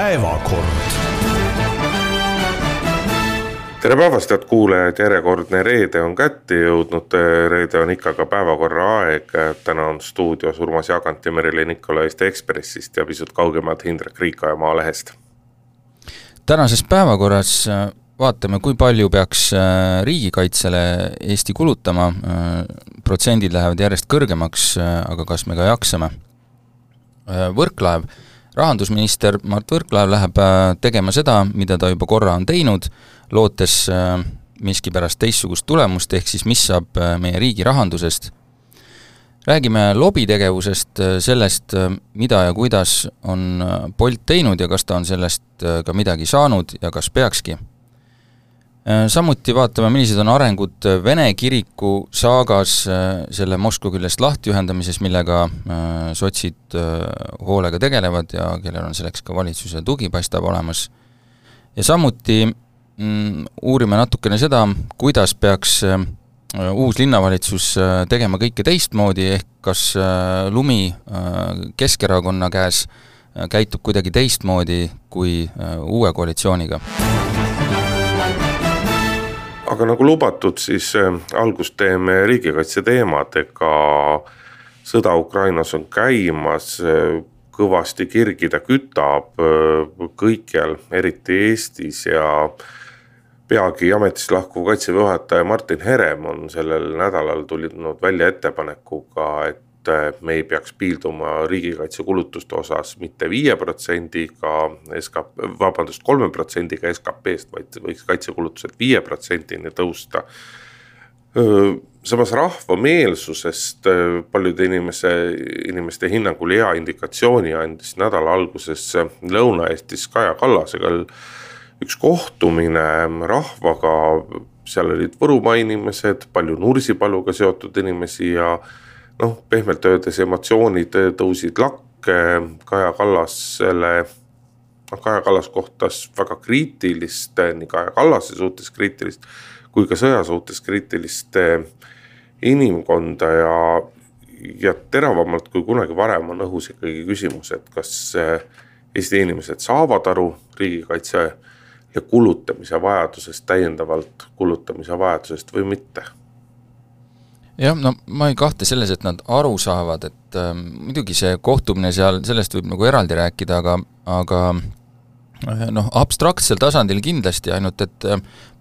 päevakord. Tere päevast, head kuulajad, järjekordne reede on kätte jõudnud. Reede on ikka ka päevakorra aeg. Täna on stuudios Urmas Jagant ja Merilin Nikola Eesti Ekspressist ja pisut kaugemalt Hindrek Riika ja Maalehest. Tänases päevakorras vaatame, kui palju peaks riigikaitsele Eesti kulutama. Protsendid lähevad järjest kõrgemaks, aga kas me ka jaksame? Rahandusminister Mart Võrklaev läheb tegema seda, mida ta juba korra on teinud, lootes miski pärast teistsugust tulemust, ehk siis mis saab meie riigi rahandusest. Räägime lobitegevusest, sellest, mida ja kuidas on Bolt teinud ja kas ta on sellest ka midagi saanud ja kas peakski. Samuti vaatame, millised on arengud Vene kiriku saagas selle Moskva küljest lahtiühendamises, millega sotsid hoolega tegelevad ja kellel on selleks ka valitsuse tugi paistab olemas. Ja samuti uurime natukene seda, kuidas peaks uus linnavalitsus tegema kõike teistmoodi, ehk kas lumi Keskerakonna käes käitub kuidagi teistmoodi kui uue koalitsiooniga. Aga nagu lubatud, siis algust teeme riigikaitse teemadega. Sõda Ukrainas on käimas, kõvasti kirgida kütab kõikjal, eriti Eestis, ja peagi ametist lahkuv kaitseväe juhataja Martin Herem on sellel nädalal tulnud välja ettepanekuga, et me ei peaks piilduma riigikaitsekulutuste osas mitte 5%-ga 3%-ga SKP-st, vaid võiks kaitsekulutused 5%-ni tõusta. Samas rahvameelsusest paljude inimeste hinnangul hea indikatsiooni andis nädala alguses Lõuna-Eestis Kaja Kallasega üks kohtumine rahvaga. Seal olid Võrumaa inimesed, palju Nursipaluga seotud inimesi ja pehmelt öeldes emotsioonid tõusid lakke. Kaja Kallas kohtas väga kriitilist, nii Kaja Kallase suhtes kriitilist kui ka sõja suhtes kriitilist inimkonda ja teravamalt kui kunagi varem on õhus ikkagi küsimus, et kas Eesti inimesed saavad aru riigikaitse ja kulutamise vajadusest, täiendavalt kulutamise vajadusest või mitte. Jah, ma ei kahte selles, et nad aru saavad, et muidugi see kohtumine seal, sellest võib nagu eraldi rääkida, aga abstraktsel tasandil kindlasti, ainult et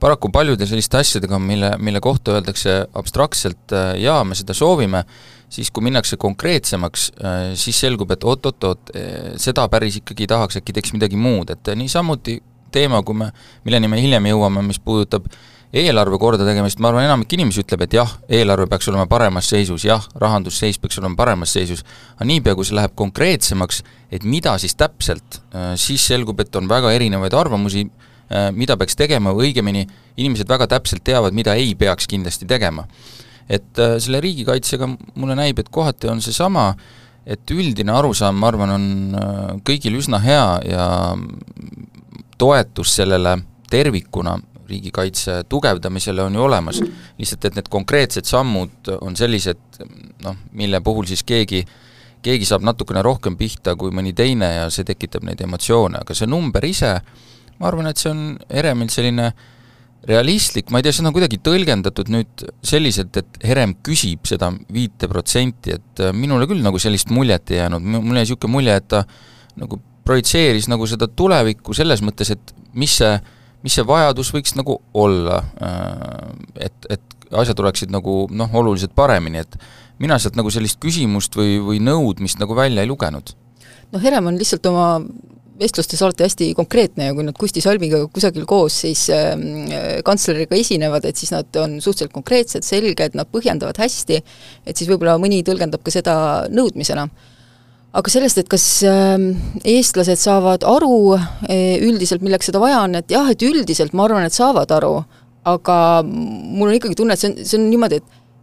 paraku paljude selliste asjadega, mille kohta öeldakse abstraktselt ja me seda soovime, siis kui minnakse konkreetsemaks, siis selgub, et oot, seda päris ikkagi tahaks, äkki teeks midagi muud, et nii samuti teema, milleni me hiljem jõuame, mis puudutab eelarve korda tegemist, ma arvan, enamik inimesi ütleb, et jah, eelarve peaks olema paremas seisus, jah, rahandusseis peaks olema paremas seisus, aga niipea, kui see läheb konkreetsemaks, et mida siis täpselt, siis selgub, et on väga erinevaid arvamusi, mida peaks tegema, või õigemini inimesed väga täpselt teavad, mida ei peaks kindlasti tegema. Et selle riigikaitsega mulle näib, et kohati on see sama, et üldine arusaam, ma arvan, on kõigil üsna hea ja toetus sellele tervikuna riigikaitse tugevdamisele on ju olemas. Lihtsalt, et need konkreetsed sammud on sellised, mille puhul siis keegi saab natukene rohkem pihta kui mõni teine ja see tekitab neid emotsioone. Aga see number ise, ma arvan, et see on Heremilt selline realistlik, ma ei tea, see on kuidagi tõlgendatud nüüd selliselt, et Herem küsib seda 5%, et minule küll nagu sellist muljet ei jäänud. Mulle jäi siuke mulje, et ta nagu projitseeris nagu seda tulevikku selles mõttes, et mis see vajadus võiks nagu olla, et asjad oleksid nagu oluliselt paremini, et mina sealt nagu sellist küsimust või nõudmist nagu välja ei lugenud. Herem on lihtsalt oma vestlustes alati hästi konkreetne ja kui nad Kusti Salmiga kusagil koos siis kantsleriga esinevad, et siis nad on suhteliselt konkreetsed, selged, nad põhjendavad hästi, et siis võib-olla mõni tõlgendab ka seda nõudmisena. Aga sellest, et kas eestlased saavad aru üldiselt, milleks seda vaja on, et jah, et üldiselt ma arvan, et saavad aru, aga mul on ikkagi tunne, et see on niimoodi,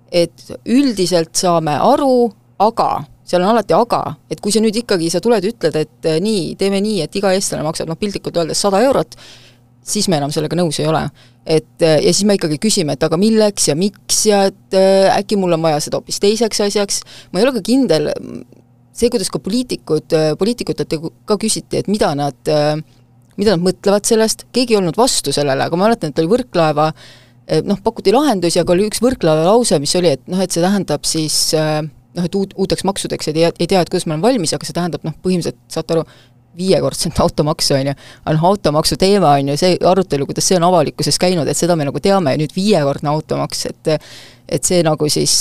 et üldiselt saame aru, aga seal on alati aga, et kui sa nüüd ikkagi sa tuled ütled, et nii, teeme nii, et iga eestlane maksab piltlikult öeldes 100 eurot, siis me enam sellega nõus ei ole. Ja siis me ikkagi küsime, et aga milleks ja miks ja et äkki mul on vaja seda hoopis teiseks asjaks. Ma ei ole ka kindel, see, kuidas ka poliitikutelt ka küsiti, et mida nad mõtlevad sellest, keegi ei olnud vastu sellele, aga ma mäletan, et oli Võrklaeva, pakuti lahendusi, aga oli üks Võrklaeva lause, mis oli, et et see tähendab siis et uuteks maksudeks ei tea, et kuidas ma olen valmis, aga see tähendab põhimõtteliselt, saate aru, 5-kordset automaksu, on ju, aga automaksu teema on ju see arutelu, kuidas see on avalikkuses käinud, et seda me nagu teame, nüüd 5-kordne automaks, et see nagu siis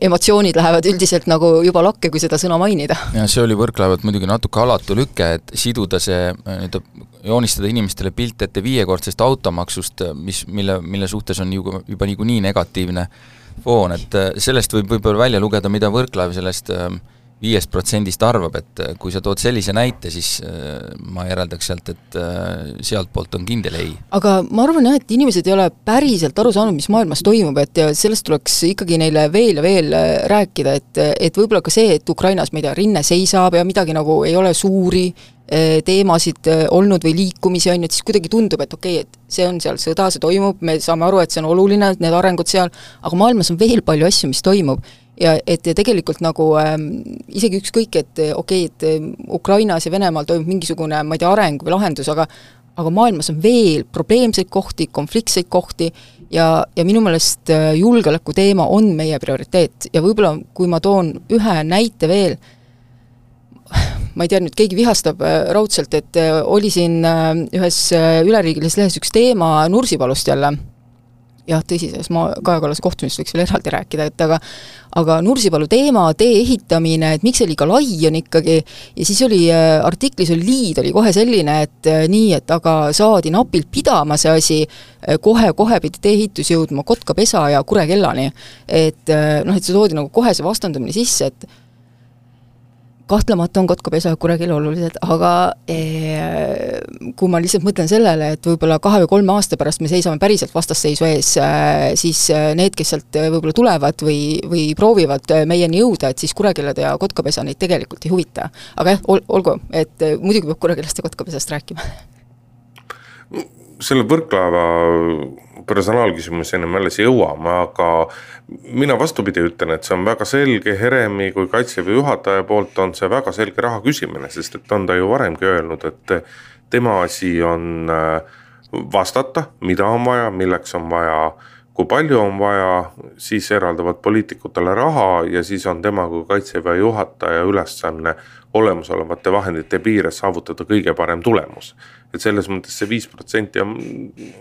emotsioonid lähevad üldiselt nagu juba lakke, kui seda sõna mainida. Ja see oli Võrklaevalt muidugi natuke alatu lükke, et siduda see, joonistada inimestele pilt ette 5-kordsest automaksust, mille suhtes on juba niikuinii negatiivne foon, et sellest võib-olla välja lugeda, mida Võrklaev sellest 5% arvab, et kui sa tood sellise näite, siis ma järeldaks sealt, et sealt poolt on kindel ei. Aga ma arvan jah, et inimesed ei ole päriselt aru saanud, mis maailmas toimub, et sellest tuleks ikkagi neile veel ja veel rääkida, et võib-olla ka see, et Ukrainas, ma ei tea, rinne seisab ja midagi nagu ei ole suuri teemasid olnud või liikumisi on, et siis kuidagi tundub, et okei, et see on seal sõda, see toimub, me saame aru, et see on oluline, need arengud seal, aga maailmas on veel palju asju, mis toimub. Ja et tegelikult nagu isegi ükskõik, et okei, et Ukrainas ja Venemaal toimub mingisugune, ma ei tea, areng või lahendus, aga maailmas on veel probleemseid kohti, konfliktseid kohti ja minu meelest julgeoleku teema on meie prioriteet ja võib-olla kui ma toon ühe näite veel, ma ei tea, nüüd keegi vihastab raudselt, et oli siin ühes üleriigilises lehes üks teema Nursipalust jälle, jah, tõsi, selles Kaja Kallase kohtumist võiks veel eraldi rääkida, et aga Nursipalu teema, tee ehitamine, et miks see liiga lai on ikkagi, ja siis oli artiklis oli liid, oli kohe selline, et nii, et aga saadi napilt pidama see asi, kohe pidi tee ehitus jõudma Kotkapesa ja Kurekellani, et see toodi nagu kohe see vastandumine sisse, et kahtlemata on Kotkapesa ja Kurekell olulised, aga kui ma lihtsalt mõtlen sellele, et võib-olla 2 või 3 aasta pärast me seisame päriselt vastasseisu ees, siis need, kes sealt võib-olla tulevad või proovivad meieni jõuda, et siis Kurekellad ja Kotkapesa neid tegelikult ei huvita. Aga jah, olgu, et muidugi peab Kurekellast ja Kotkapesast rääkima. Selle Võrklaeva personaalküsimus ennem alles jõuame, aga mina vastupidi ütlen, et see on väga selge Heremi kui Kaitseväe juhataja poolt on see väga selge raha küsimine, sest et on ta ju varemgi öelnud, et tema asi on vastata, mida on vaja, milleks on vaja, kui palju on vaja, siis eraldavad poliitikutele raha ja siis on tema kui Kaitseväe juhataja ülesanne olemasolevate vahendite piires saavutada kõige parem tulemus. Et selles mõttes see 5% on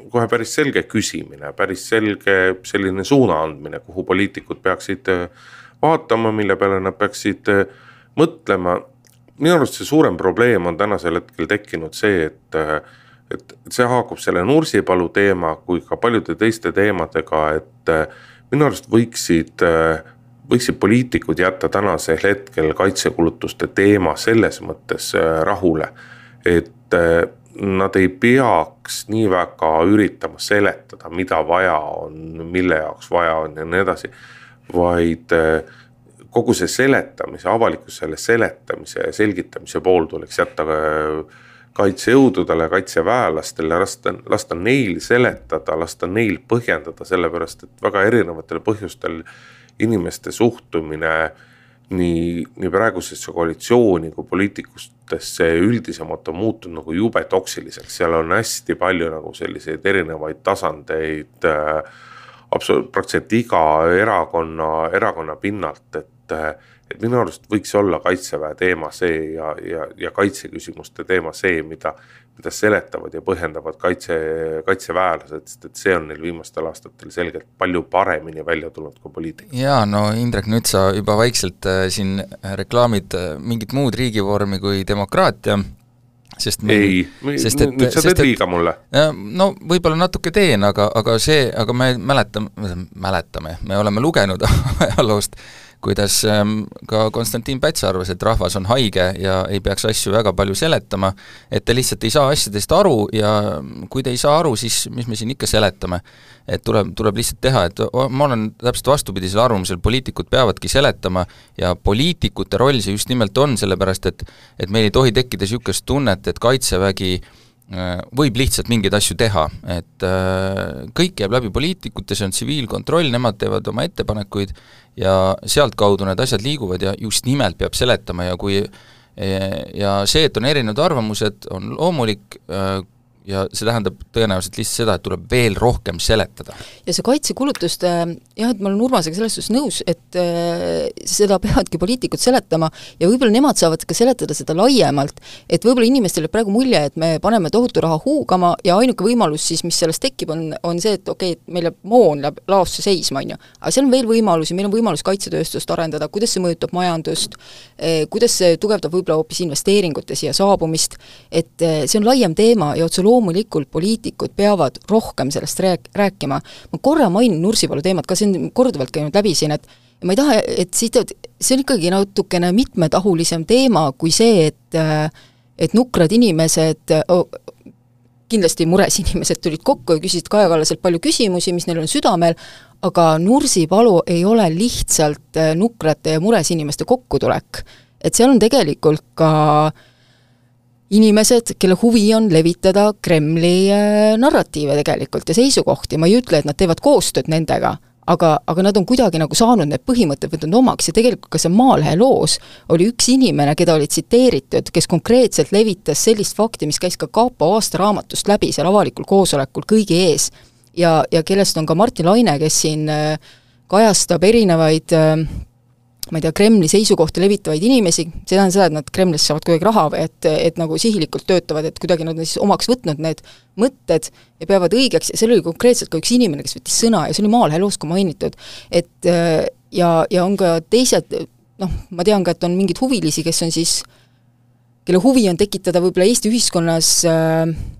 kohe päris selge küsimine, päris selge selline suuna andmine, kuhu poliitikud peaksid vaatama, mille peale nad peaksid mõtlema. Minu arust see suurem probleem on tänasel hetkel tekkinud see, et see haakub selle Nursipalu teema kui ka paljude teiste teemadega, et minu arust võiksid poliitikud jätta tänasel hetkel kaitsekulutuste teema selles mõttes rahule, et nad ei peaks nii väga üritama seletada, mida vaja on, mille jaoks vaja on ja nii edasi, vaid kogu see seletamise, avalikkusele seletamise ja selgitamise pool tuleks jätta kaitsejõududele, kaitseväelastele, lasta neil seletada, lasta neil põhjendada, sellepärast et väga erinevatel põhjustel inimeste suhtumine nii praegusesse koalitsiooni kui poliitikustesse üldisemalt on muutunud nagu jube toksiliseks. Seal on hästi palju nagu selliseid erinevaid tasandeid praktiliselt iga erakonna pinnalt, et minu arust võiks olla Kaitseväe teema see ja kaitseküsimuste teema see, mida seletavad ja põhjendavad kaitseväelased, sest et see on neil viimastel aastatel selgelt palju paremini välja tulnud kui poliitika. Jaa, no Indrek, nüüd sa juba vaikselt siin reklaamid mingit muud riigivormi kui demokraatia, sest nüüd sa teed liiga mulle. No võib-olla natuke teen, aga me mäletame, me oleme lugenud ajaloost, kuidas ka Konstantin Päts arvas, et rahvas on haige ja ei peaks asju väga palju seletama, et te lihtsalt ei saa asjadest aru ja kui te ei saa aru, siis mis me siin ikka seletame, et tuleb lihtsalt teha, et ma olen täpselt vastupidisel arvamusel, poliitikud peavadki seletama ja poliitikute roll see just nimelt on, sellepärast et meil ei tohi tekkida niisugust tunnet, et Kaitsevägi võib lihtsalt mingeid asju teha, et kõik jääb läbi poliitikute, see on tsiviilkontroll, nemad teevad oma ettepanekuid ja sealtkaudu need asjad liiguvad ja just nimelt peab seletama ja see, et on erinevad arvamused, on loomulik ja see tähendab tõenäoliselt lihtsalt seda, et tuleb veel rohkem seletada. Ja see kaitsekulutuste, jah, et ma olen Urmasega selles suhtes nõus, et seda peavadki poliitikud seletama ja võib-olla nemad saavad ka seletada seda laiemalt, et võib-olla inimestele praegu mulje, et me paneme tohutu raha huugama ja ainuke võimalus siis, mis sellest tekib, on see, et okei, et meil jääb moon läheb laosse seisma, on ju. Aga seal on veel võimalusi, meil on võimalus kaitsetööstust arendada, kuidas see mõjutab majandust, kuidas see tugevdab võib-olla hoopis investeeringute siia saabumist, et see on laiem teema ja otse loomulikult poliitikud peavad rohkem sellest rääkima. Ma korra mainin Nursipalu teemat, ka see on korduvalt käinud läbi siin, et ma ei taha, et see on ikkagi natukene mitmetahulisem teema kui see, et nukrad inimesed, kindlasti mures inimesed tulid kokku ja küsisid Kaja Kallaselt palju küsimusi, mis neil on südamel, aga Nursipalu ei ole lihtsalt nukrate ja mures inimeste kokkutulek. Et seal on tegelikult ka inimesed, kelle huvi on levitada Kremli narratiive tegelikult ja seisukohti, ma ei ütle, et nad teevad koostööd nendega, aga nad on kuidagi nagu saanud need põhimõtted võtnud omaks ja tegelikult ka see Maalehe loos oli üks inimene, keda oli tsiteeritud, kes konkreetselt levitas sellist fakti, mis käis ka Kaapo aastaraamatust läbi seal avalikul koosolekul kõigi ees ja kellest on ka Martin Laine, kes siin kajastab erinevaid ma ei tea, Kremli seisukohti levitavaid inimesi, see tähendab seda, et nad Kremlis saavad kuidagi raha või et nagu sihilikult töötavad, et kuidagi nad on siis omaks võtnud need mõtted ja peavad õigeks ja seal oli konkreetselt ka üks inimene, kes võttis sõna ja see oli Maalehe loos ka mainitud, et ja on ka teised, ma tean ka, et on mingid huvilisi, kes on siis, kelle huvi on tekitada võib-olla Eesti ühiskonnas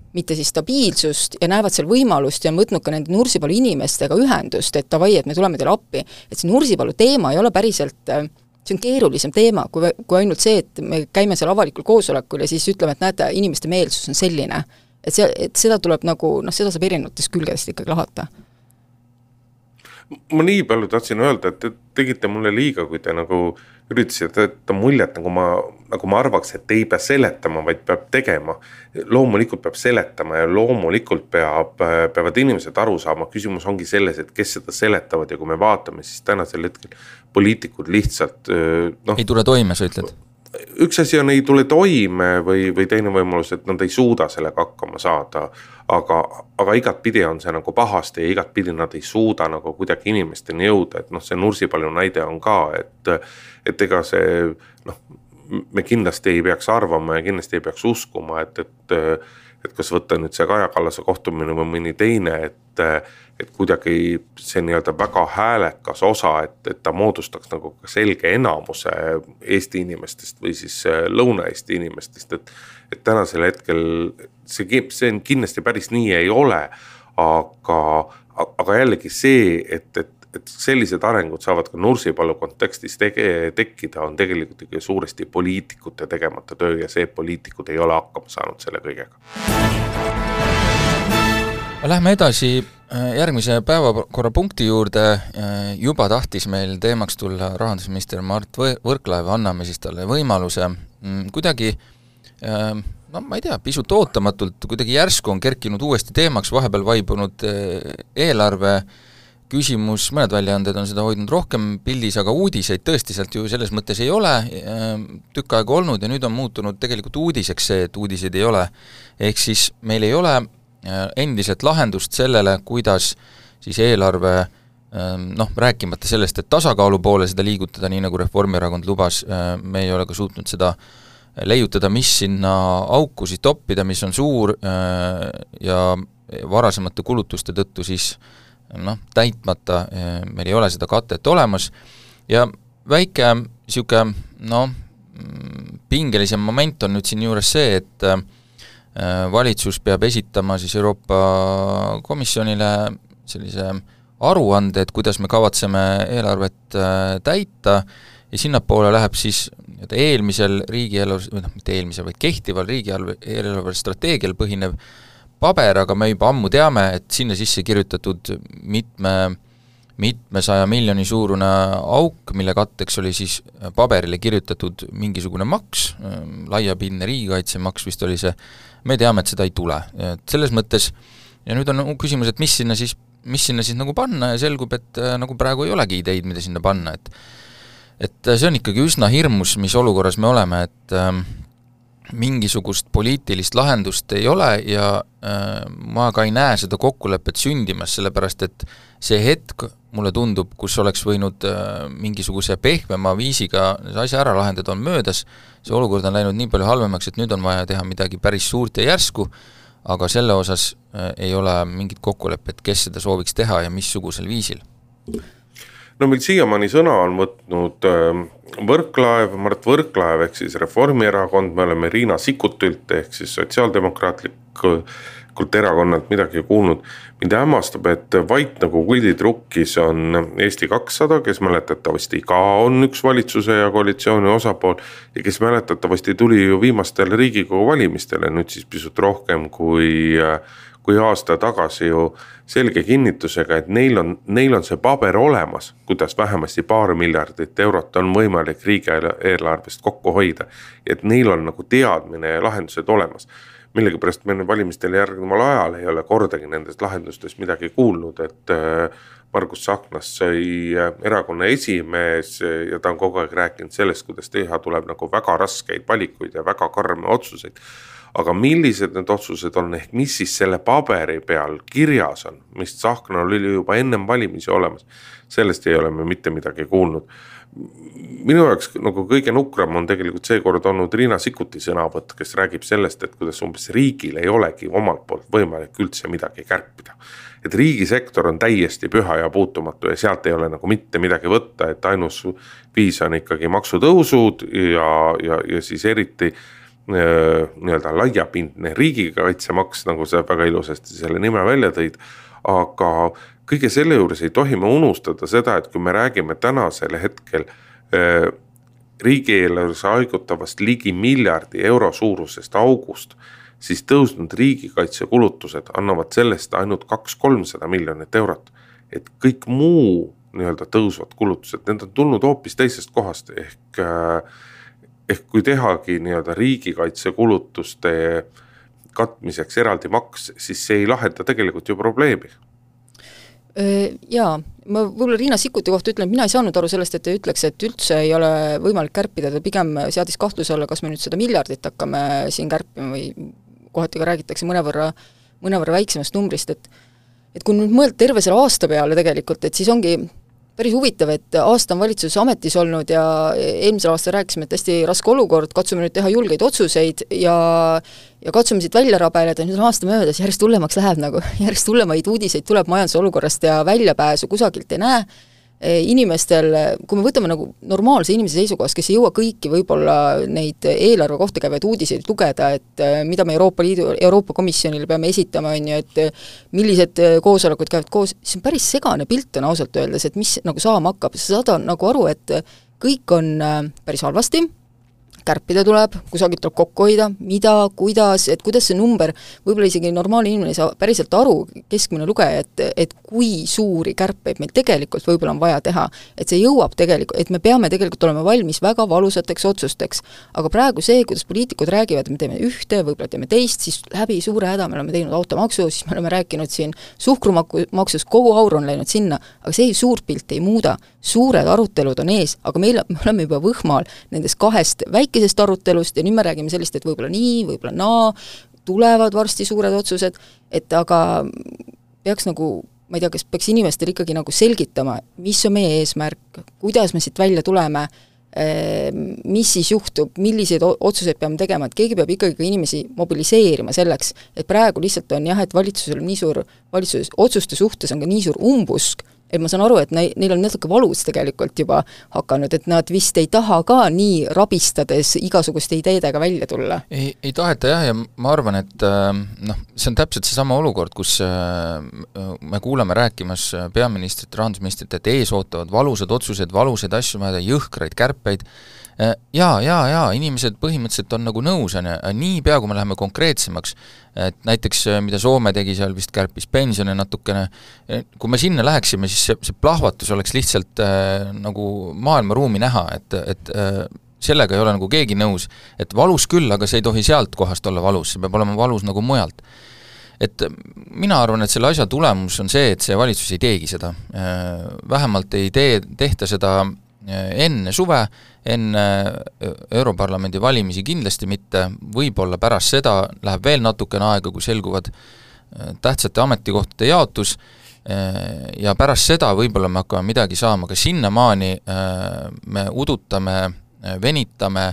mitte siis stabiilsust ja näevad seal võimalust ja on võtnud ka nende Nursipalu inimestega ühendust, et davai, et me tuleme teile appi. Et see Nursipalu teema ei ole päriselt, see on keerulisem teema, kui ainult see, et me käime seal avalikul koosolekul ja siis ütleme, et näete, inimeste meelsus on selline. Et seda tuleb nagu, seda saab erinevatest külgedest ikkagi lahata. Ma nii palju tahtsin öelda, et te tegite mulle liiga, kui te nagu üritasite jätta muljet, nagu ma arvaks, et ei pea seletama, vaid peab tegema. Loomulikult peab seletama ja loomulikult peavad inimesed aru saama. Küsimus ongi selles, et kes seda seletavad ja kui me vaatame, siis tänasel hetkel poliitikud lihtsalt ei tule toime, sa ütled? Üks asi on ei tule toime või teine võimalus, et nad ei suuda sellega hakkama saada, aga igat pidi on see nagu pahasti ja igat pidi nad ei suuda nagu kuidagi inimesteni jõuda, et see Nursipalu näide on ka, et ega see, me kindlasti ei peaks arvama ja kindlasti ei peaks uskuma, et kas võtta nüüd see Kaja Kallase kohtumine või mõni teine, et kuidagi see nii-öelda väga häälekas osa, et ta moodustaks nagu selge enamuse Eesti inimestest või siis Lõuna-Eesti inimestest, et tänasel hetkel see kindlasti päris nii ei ole, aga jällegi see, et sellised arengud saavad ka Nursipalu kontekstis tekkida, on tegelikult ikka suuresti poliitikute tegemata töö ja see poliitikud ei ole hakkama saanud selle kõigega. Lähme edasi järgmise päevakorrapunkti juurde, juba tahtis meil teemaks tulla rahandusminister Mart Võrklaev, anname siis talle võimaluse kuidagi, ma ei tea, pisut ootamatult, kuidagi järsku on kerkinud uuesti teemaks, vahepeal vaibunud eelarve küsimus, mõned väljaanded on seda hoidnud rohkem pildis, aga uudiseid tõesti sealt ju selles mõttes ei ole tükk aega olnud ja nüüd on muutunud tegelikult uudiseks see, et uudiseid ei ole. Ehk siis meil ei ole endiselt lahendust sellele, kuidas siis eelarve, rääkimata sellest, et tasakaalu poole seda liigutada, nii nagu Reformierakond lubas, me ei ole ka suutnud seda leiutada, mis sinna auku siis toppida, mis on suur ja varasemate kulutuste tõttu siis täitmata, meil ei ole seda katet olemas ja väike siuke, pingelisem moment on nüüd siin juures see, et valitsus peab esitama siis Euroopa Komisjonile sellise aruande, et kuidas me kavatseme eelarvet täita ja sinnapoole läheb siis eelmisel riigieelarve, mitte eelmisel, vaid kehtival riigieelarve strateegial põhinev paber, aga me juba ammu teame, et sinna sisse kirjutatud mitmesaja miljoni suurune auk, mille katteks oli siis paberile kirjutatud mingisugune maks, laiapindne riigikaitsemaks vist oli see, me teame, et seda ei tule. Et selles mõttes, ja nüüd on küsimus, et mis sinna siis nagu panna ja selgub, et nagu praegu ei olegi ideid, mida sinna panna, et see on ikkagi üsna hirmus, mis olukorras me oleme, et mingisugust poliitilist lahendust ei ole ja ma ka ei näe seda kokkulepet sündimas, sellepärast et see hetk, mulle tundub, kus oleks võinud mingisuguse pehmema viisiga see asja ära lahendada, on möödas, see olukord on läinud nii palju halvemaks, et nüüd on vaja teha midagi päris suurt ja järsku, aga selle osas ei ole mingit kokkulepet, kes seda sooviks teha ja missugusel viisil. No meil siiamaani sõna on võtnud Mart Võrklaev ehk siis Reformierakond, me oleme Riina Sikkutilt ehk siis sotsiaaldemokraatlikult erakonnalt midagi kuulnud. Mind hämmastab, et vait nagu kulditrukis on Eesti 200, kes mäletatavasti ka on üks valitsuse ja koalitsiooni osapool ja kes mäletatavasti tuli ju viimastel Riigikogu valimistele, nüüd siis pisut rohkem kui aasta tagasi ju selge kinnitusega, et neil on see paber olemas, kuidas vähemasti paar miljardit eurot on võimalik riigieelarvest kokku hoida, et neil on nagu teadmine ja lahendused olemas. Millegipärast me valimistel järgneval ajal ei ole kordagi nendest lahendustest midagi kuulnud, et Margus Tsahknas sai erakonna esimees ja ta on kogu aeg rääkinud sellest, kuidas teha tuleb nagu väga raskeid valikuid ja väga karme otsuseid. Aga millised need otsused on ehk mis siis selle paberi peal kirjas on, mis Tsahknal oli juba ennem valimisi olemas, sellest ei ole me mitte midagi kuulnud. Minu jaoks nagu kõige nukram on tegelikult seekord olnud Riina Sikkuti sõnavõtt, kes räägib sellest, et kuidas umbes riigil ei olegi omalt poolt võimalik üldse midagi kärpida. Et riigisektor on täiesti püha ja puutumatu ja sealt ei ole nagu mitte midagi võtta, et ainus viis on ikkagi maksutõusud ja siis eriti nii-öelda laiapindne riigikaitsemaks, nagu sa väga ilusasti selle nime välja tõid, aga kõige selle juures ei tohi me unustada seda, et kui me räägime tänasel hetkel riigieelarves haigutavast ligi miljardi euro suurusest august, siis tõusnud riigikaitsekulutused annavad sellest ainult 200-300 miljonit eurot, et kõik muu nii-öelda tõusvad kulutused, need on tulnud hoopis teisest kohast ehk kui tehagi nii-öelda riigikaitsekulutuste katmiseks eraldi maks, siis see ei lahenda tegelikult ju probleemi. Jaa, ma võib-olla Riina Sikkuti kohta ütlen, et mina ei saanud aru sellest, et ta ütleks, et üldse ei ole võimalik kärpida, ta pigem seadis kahtluse alla, kas me nüüd 100 miljardit hakkame siin kärpima või kohati ka räägitakse mõnevõrra väiksemast numbrist, et kui nüüd mõelda terve selle aasta peale tegelikult, et siis ongi päris huvitav, et aasta on valitsus ametis olnud ja eelmisel aastal rääkisime, et hästi raske olukord, katsume nüüd teha julgeid otsuseid ja katsume siit välja rabeleda, nüüd on aasta möödas, järjest hullemaks läheb nagu, järjest hullemaid uudiseid tuleb majanduse olukorrast ja väljapääsu kusagilt ei näe. Inimestel, kui me võtame nagu normaalse inimese seisukohast, kes ei jõua kõiki võib-olla neid eelarve kohta käivaid uudiseid lugeda, et mida me Euroopa Komisjonile peame esitama, on ju, et millised koosolekud käivad koos, siis on päris segane pilt on ausalt öeldes, et mis nagu saama hakkab, sa saad nagu aru, et kõik on päris halvasti, kärpida tuleb, kusagilt tuleb kokku hoida, mida, kuidas see number, võib-olla isegi normaalne inimene ei saa päriselt aru, keskmine lugeja, et kui suuri kärpeid meil tegelikult võib-olla on vaja teha, et see jõuab tegelikult, et me peame tegelikult olema valmis väga valusateks otsusteks, aga praegu see, kuidas poliitikud räägivad, et me teeme ühte, võib-olla teeme teist, siis läbi suure häda me oleme teinud automaksu, siis me oleme rääkinud siin suhkrumaksust, kogu aur on läinud sinna, aga see suurt pilti ei muuda, suured arutelud on ees, aga me oleme juba võhmal nendest kahest väikesest arutelust ja nüüd me räägime sellist, et võib-olla nii, võib-olla naa, tulevad varsti suured otsused, et aga peaks nagu, ma ei tea, kas peaks inimestel ikkagi nagu selgitama, mis on meie eesmärk, kuidas me siit välja tuleme, mis siis juhtub, milliseid otsuseid peame tegema, et keegi peab ikkagi ka inimesi mobiliseerima selleks, et praegu lihtsalt on jah, et valitsusel on nii suur, valitsuses otsuste suhtes on ka nii suur umbusk, et ma saan aru, et neil on natuke valus tegelikult juba hakanud, et nad vist ei taha ka nii rabistades igasuguste ideedega välja tulla. Ei taheta jah, ja ma arvan, et see on täpselt seesama olukord, kus me kuuleme rääkimas peaministrit, rahandusministrit, et ees ootavad valusad otsused, valusad asju, jõhkraid kärpeid, Jaa, inimesed põhimõtteliselt on nagu nõus, nii pea, kui me läheme konkreetsemaks, et näiteks mida Soome tegi, seal vist kärpis pensione natukene, kui me sinna läheksime, siis see plahvatus oleks lihtsalt nagu maailmaruumi näha, et sellega ei ole nagu keegi nõus, et valus küll, aga see ei tohi sealt kohast olla valus, see peab olema valus nagu mujalt. Et mina arvan, et selle asja tulemus on see, et see valitsus ei teegi seda. Vähemalt ei tehta seda enne suve, enne Europarlamendi valimisi kindlasti mitte, võib-olla pärast seda läheb veel natukene aega, kui selguvad tähtsate ametikohtade jaotus ja pärast seda võib-olla me hakkame midagi saama, aga sinnamaani me udutame, venitame,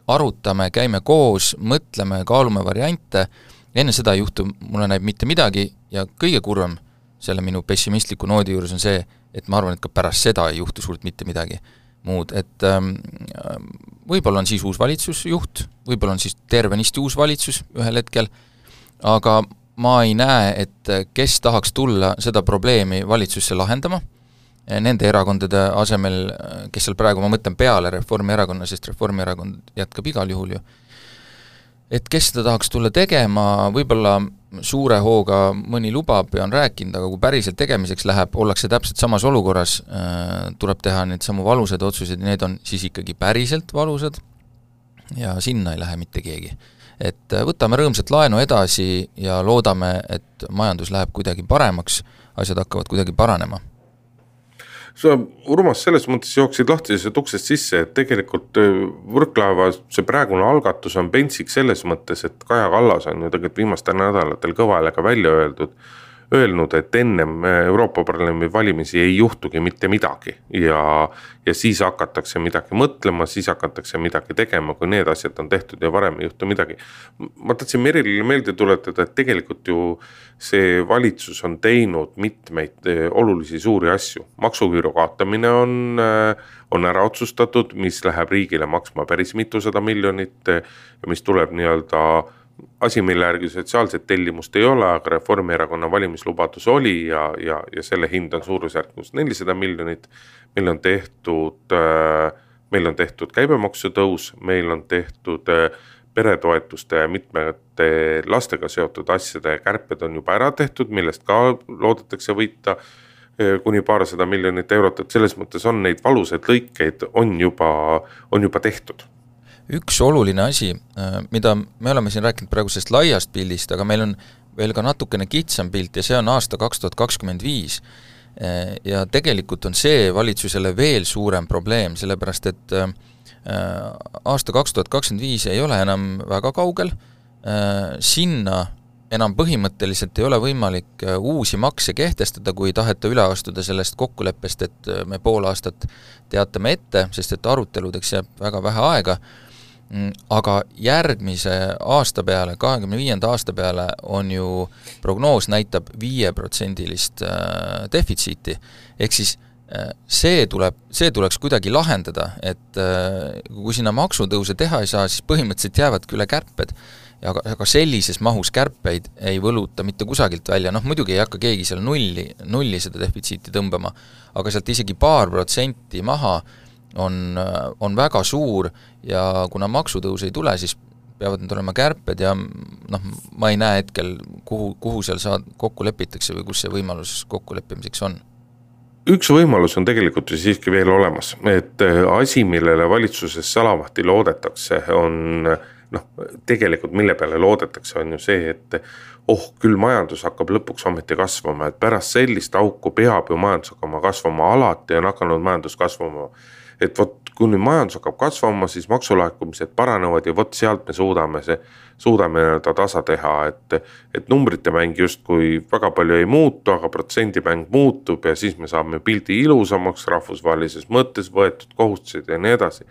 arutame, käime koos, mõtleme, kaalume variante, enne seda ei juhtu, mulle näib mitte midagi ja kõige kurvem selle minu pessimistliku noodi juures on see, et ma arvan, et ka pärast seda ei juhtu suurt mitte midagi muud, et võib-olla on siis uus valitsusjuht, võib-olla on siis tervenisti uus valitsus ühel hetkel, aga ma ei näe, et kes tahaks tulla seda probleemi valitsusse lahendama, nende erakondade asemel, kes seal praegu, ma mõtlen peale Reformierakonna, sest Reformierakond jätkab igal juhul ju, et kes seda tahaks tulla tegema, võib-olla suure hooga mõni lubab ja on rääkinud, aga kui päriselt tegemiseks läheb, ollakse täpselt samas olukorras, tuleb teha need samu valusad otsused ja need on siis ikkagi päriselt valusad ja sinna ei lähe mitte keegi. Et võtame rõõmsat laenu edasi ja loodame, et majandus läheb kuidagi paremaks, asjad hakkavad kuidagi paranema. Sa, Urmas, selles mõttes jooksid lahtisest uksest sisse, et tegelikult Võrklaeva see praegune algatus on pentsik selles mõttes, et Kaja Kallas on ju tegelikult viimastel nädalatel kõva häälega välja öelnud, et ennem Euroopa Parlamendi valimisi ei juhtugi mitte midagi ja siis hakatakse midagi mõtlema, siis hakatakse midagi tegema, kui need asjad on tehtud ja varem ei juhtu midagi. Ma tahtsin Merilile meelde tuletada, et tegelikult ju see valitsus on teinud mitmeid olulisi suuri asju. Maksuküüru kaotamine on ära otsustatud, mis läheb riigile maksma päris mitusada miljonit ja mis tuleb nii-öelda asi, mille järgi sotsiaalset tellimust ei ole, aga Reformierakonna valimislubadus oli ja selle hind on suurusjärgus 400 miljonit. Meil on tehtud käibemaksu tõus, meil on tehtud peretoetuste ja mitmete lastega seotud asjade kärped on juba ära tehtud, millest ka loodetakse võita kuni paarsada miljonit eurot, et selles mõttes on neid valusaid lõikeid on juba tehtud. Üks oluline asi, mida me oleme siin rääkinud praegu sellest laiast pildist, aga meil on veel ka natukene kitsam pilt ja see on aasta 2025 ja tegelikult on see valitsusele veel suurem probleem, sellepärast et aasta 2025 ei ole enam väga kaugel, sinna enam põhimõtteliselt ei ole võimalik uusi makse kehtestada, kui taheta üle astuda sellest kokkuleppest, et me pool aastat teatame ette, sest et aruteludeks jääb väga vähe aega, aga järgmise aasta peale, 25. aasta peale on ju prognoos näitab 5% defitsiiti, ehk siis see tuleks kuidagi lahendada, et kui sinna maksutõuse teha ei saa, siis põhimõtteliselt jäävadki üle kärped, aga sellises mahus kärpeid ei võluta mitte kusagilt välja, muidugi ei hakka keegi seal nulli seda defitsiiti tõmbama, aga sealt isegi 2% maha on väga suur ja kuna maksutõus ei tule, siis peavad need olema kärped ja ma ei näe hetkel, kuhu seal kokku lepitakse või kus see võimalus kokkuleppimiseks on. Üks võimalus on tegelikult ju siiski veel olemas, et asi, millele valitsuses salavahti loodetakse, on tegelikult mille peale loodetakse, on ju see, et küll majandus hakkab lõpuks ometi kasvama, et pärast sellist auku peab ju majandus hakkama kasvama, alati on hakanud majandus kasvama. Et kui nüüd majandus hakkab kasvama, siis maksulaekumised paranevad ja sealt me suudame tasa teha, et numbrite mäng just kui väga palju ei muutu, aga protsendimäng muutub ja siis me saame pildi ilusamaks rahvusvahelises mõttes võetud kohustused ja nii edasi.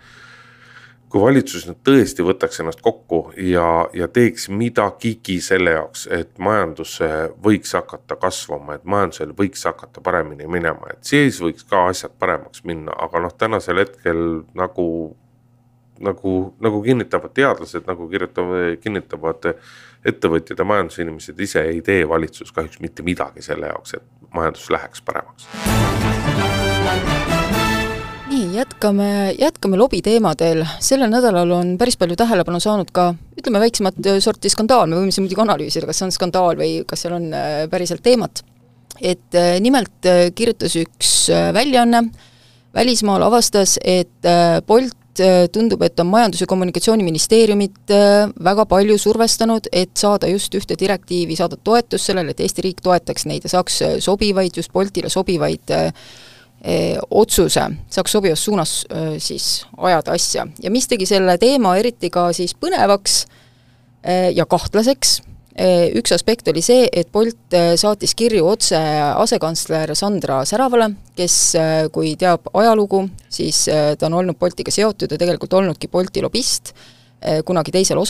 Kui valitsus nüüd tõesti võtaks ennast kokku ja teeks midagigi selle jaoks, et majandus võiks hakata kasvama, et majandusel võiks hakata paremini minema, et siis võiks ka asjad paremaks minna, aga tänasel hetkel nagu kinnitavad teadlased, nagu kinnitavad ettevõtjad ja majandusinimesed ise ei tee valitsus kahjuks mitte midagi selle jaoks, et majandus läheks paremaks. jätkame lobiteemadel. Sellel nädalal on päris palju tähelepanu saanud ka, ütleme, väiksemat sorti skandaal, me võime siin muidugi analüüsida, kas see on skandaal või kas seal on päriselt teemat. Et nimelt kirjutas üks väljaanne, välismaal avastas, et Bolt tundub, et on Majandus- ja Kommunikatsiooniministeeriumit väga palju survestanud, et saada just ühte direktiivi, saada toetus sellele, et Eesti riik toetaks neid ja saaks sobivaid, just Boltile sobivaid otsuse, saaks sobivas suunas siis ajada asja. Ja mis tegi selle teema eriti ka siis põnevaks ja kahtlaseks, üks aspekt oli see, et Bolt saatis kirju otse asekantsler Sandra Säravale, kes, kui teab ajalugu, siis ta on olnud Boltiga seotud ja tegelikult olnudki Bolti lobist, kunagi teisel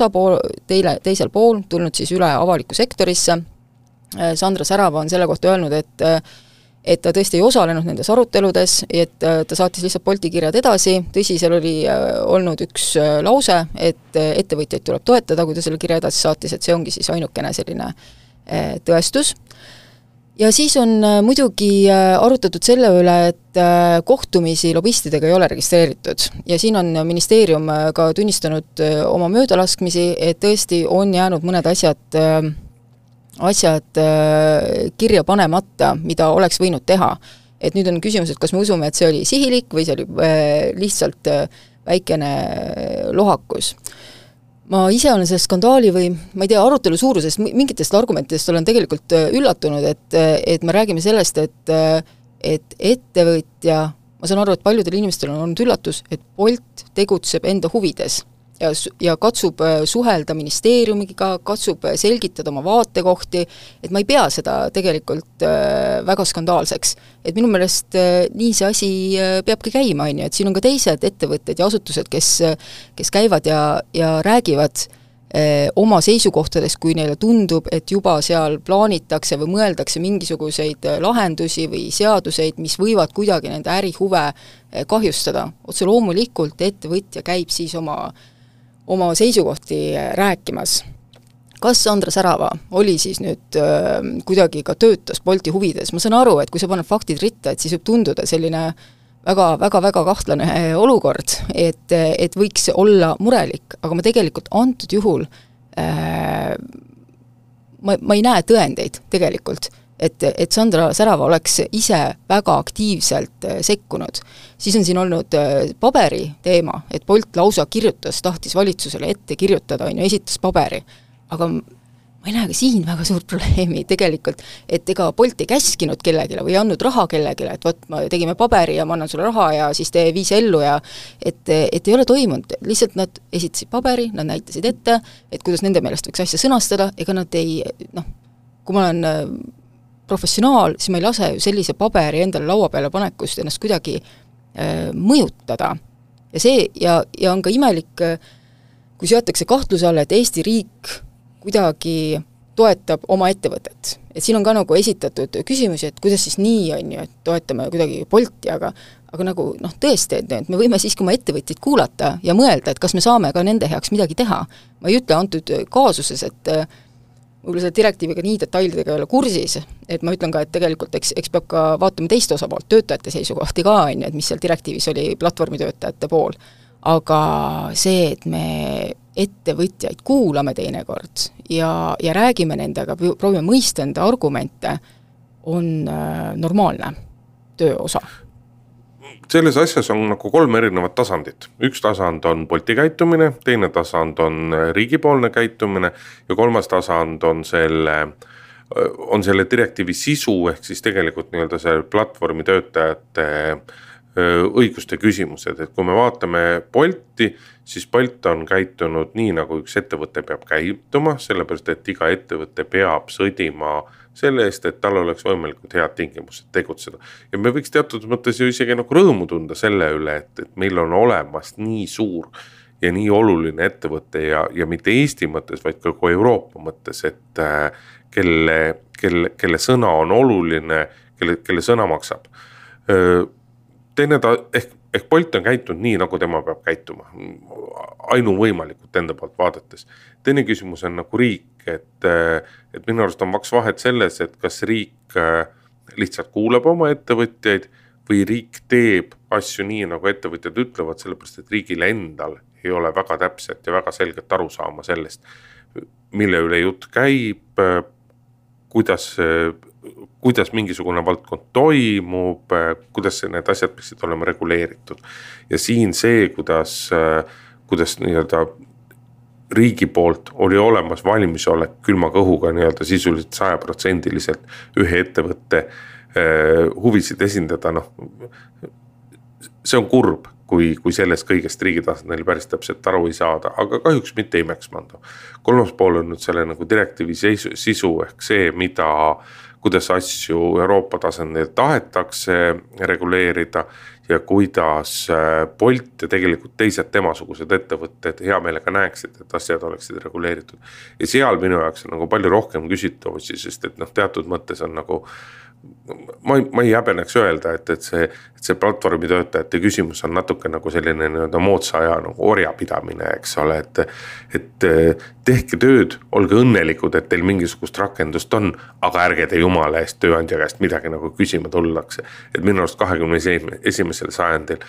pool, tulnud siis üle avaliku sektorisse. Sandra Särava on selle kohta öelnud, et ta tõesti ei osalenud nendes aruteludes, et ta saatis lihtsalt Bolti kirjad edasi, tõsi, seal oli olnud üks lause, et ettevõtjaid tuleb toetada, kui ta selle kirja edasi saatis, et see ongi siis ainukene selline tõestus. Ja siis on muidugi arutatud selle üle, et kohtumisi lobistidega ei ole registreeritud ja siin on ministeerium ka tunnistanud oma möödalaskmisi, et tõesti on jäänud mõned asjad kirja panemata, mida oleks võinud teha. Et nüüd on küsimus, et kas me usume, et see oli sihilik või see oli lihtsalt väikene lohakus. Ma ise olen selle skandaali või, ma ei tea, arutelu suurusest, mingitest argumentidest olen tegelikult üllatunud, et me räägime sellest, et ettevõtja, ma saan aru, et paljudel inimestel on olnud üllatus, et Bolt tegutseb enda huvides ja katsub suhelda ministeeriumiga, katsub selgitada oma vaatekohti, et ma ei pea seda tegelikult väga skandaalseks. Et minu meelest nii see asi peabki käima, et siin on ka teised ettevõtted ja asutused, kes käivad ja räägivad oma seisukohtades, kui neile tundub, et juba seal plaanitakse või mõeldakse mingisuguseid lahendusi või seaduseid, mis võivad kuidagi nende ärihuve kahjustada. Otse loomulikult ettevõtja käib siis oma seisukohti rääkimas. Kas Sandra Särava oli siis nüüd kuidagi ka töötas Bolti huvides? Ma saan aru, et kui sa paned faktid ritta, et siis võib tunduda selline väga kahtlane olukord, et võiks olla murelik, aga ma tegelikult antud juhul ma ei näe tõendeid tegelikult, et Sandra Särava oleks ise väga aktiivselt sekkunud. Siis on siin olnud paberi teema, et Bolt lausa tahtis valitsusele ette kirjutada, esitas paberi, aga ma ei näe ka siin väga suurt probleemi tegelikult, et ega Bolt ei käskinud kellegile või andnud raha kellegile, et võt, me tegime paberi ja ma annan sulle raha ja siis tee viis ellu ja et ei ole toimunud, lihtsalt nad esitasid paberi, nad näitasid ette, et kuidas nende meelest võiks asja sõnastada, ega nad ei, kui ma olen professionaal, siis ma ei lase ju sellise paberi endale laua peale panekust ennast kuidagi mõjutada. Ja see, ja on ka imelik, kui seatakse kahtluse alla, et Eesti riik kuidagi toetab oma ettevõtet. Et siin on ka nagu esitatud küsimusi, et kuidas siis nii on ju, et toetame kuidagi Bolti, aga nagu tõesti, et me võime siiski oma ettevõtjaid kuulata ja mõelda, et kas me saame ka nende heaks midagi teha. Ma ei ütle antud kaasuses, et võib-olla selle direktiiviga nii detailidega ei ole kursis, et ma ütlen ka, et tegelikult eks peab ka vaatama teist osapoolt, töötajate seisukohti ka, et mis seal direktiivis oli platvormitöötajate pool. Aga see, et me ettevõtjaid kuulame teinekord ja räägime nendega, proovime mõista enda argumente, on normaalne töö osa. Selles asjas on nagu 3 erinevat tasandit. Üks tasand on Bolti käitumine, teine tasand on riigipoolne käitumine ja 3. tasand on selle direktiivi sisu ehk siis tegelikult nii-öelda see platvormi töötajate õiguste küsimused, et kui me vaatame Bolti, siis Bolt on käitunud nii, nagu üks ettevõte peab käituma, sellepärast, et iga ettevõte peab sõdima selle eest, et tal oleks võimalikult head tingimused tegutseda. Ja me võiks teatud mõttes ju isegi nagu rõõmu tunda selle üle, et meil on olemas nii suur ja nii oluline ettevõte ja mitte Eesti mõttes, vaid ka Euroopa mõttes, et kelle sõna on oluline, kelle sõna maksab. Teine ehk Bolt on käitunud nii, nagu tema peab käituma, ainuvõimalikult enda poolt vaadates. Teine küsimus on nagu riik, et minu arust on maks vahet selles, et kas riik lihtsalt kuulab oma ettevõtjaid või riik teeb asju nii, nagu ettevõtjad ütlevad, sellepärast, et riigil endal ei ole väga täpset ja väga selget aru saama sellest, mille üle jutt käib, kuidas mingisugune valdkond toimub, kuidas need asjad peaksid olema reguleeritud. Ja siin see, kuidas nii-öelda riigi poolt oli olemas valmisolek külma kõhuga nii-öelda sisuliselt 100% ühe ettevõtte huvisid esindada, see on kurb, kui sellest kõigest riigi tasandil päris täpselt aru ei saada, aga kahjuks mitte imeksmanda. Kolmas pool on nüüd selle nagu direktiivi sisu ehk see, kuidas asju Euroopa tasandil tahetakse reguleerida ja kuidas Bolt ja tegelikult teised temasugused ettevõtted hea meelega näeksid, et asjad oleksid reguleeritud. Ja seal minu jaoks on nagu palju rohkem küsitavusi, sest et teatud mõttes on nagu ma ei häbeneks öelda, et see platvormi töötajate küsimus on natuke nagu selline moodsa aja nagu orjapidamine, eks ole, et tehke tööd, olge õnnelikud, et teil mingisugust rakendust on, aga ärge te jumala eest tööandja käest midagi nagu küsima tullakse. Et minu arust 21. sajandil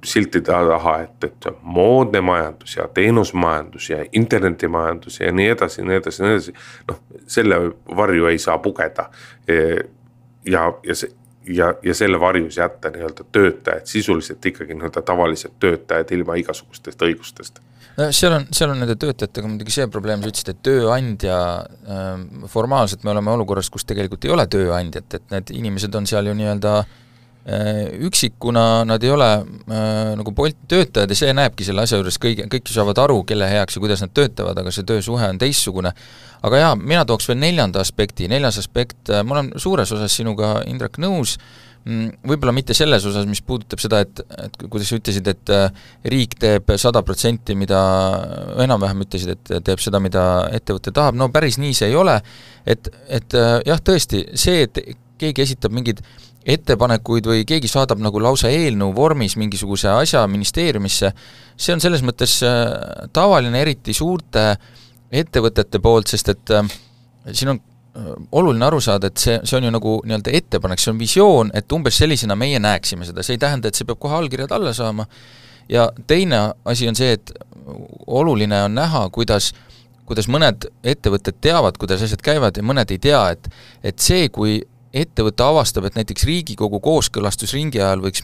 siltide taha, et moodne majandus ja teenusmajandus ja internetimajandus ja nii edasi, selle varju ei saa pugeda. Ja selle varjus jätta nii-öelda töötajad, sisuliselt ikkagi nii-öelda tavalised töötajad ilma igasugustest õigustest. Seal on nende töötajatega muidugi see probleem, sa ütlesid, et tööandja, formaalselt me oleme olukorras, kus tegelikult ei ole tööandjat, et need inimesed on seal ju nii-öelda üksikuna, nad ei ole nagu Bolti töötajad ja see näebki selle asja juures kõik saavad aru, kelle heaks ja kuidas nad töötavad, aga see töösuhe on teistsugune. Aga jaa, mina tooks veel neljas aspekt, ma olen suures osas sinuga, Indrek, nõus, võib-olla mitte selles osas, mis puudutab seda, et kuidas sa ütlesid, et riik teeb 100%, mida enam-vähem ütlesid, et teeb seda, mida ettevõte tahab, no päris nii see ei ole, et jah, tõesti, see, et keegi esitab mingid ettepanekuid või keegi saadab nagu lausa eelnõu vormis mingisuguse asja ministeeriumisse, see on selles mõttes tavaline, eriti suurte ettevõtete poolt, sest et siin on oluline aru saada, et see on ju nagu nii-öelda ettepanek, see on visioon, et umbes sellisena meie näeksime seda, see ei tähenda, et see peab kohe allkirjad alla saama. Ja teine asi on see, et oluline on näha, kuidas mõned ettevõtted teavad, kuidas asjad käivad ja mõned ei tea, et see, kui ettevõte avastab, et näiteks Riigikogu kooskõlastusringi ajal võiks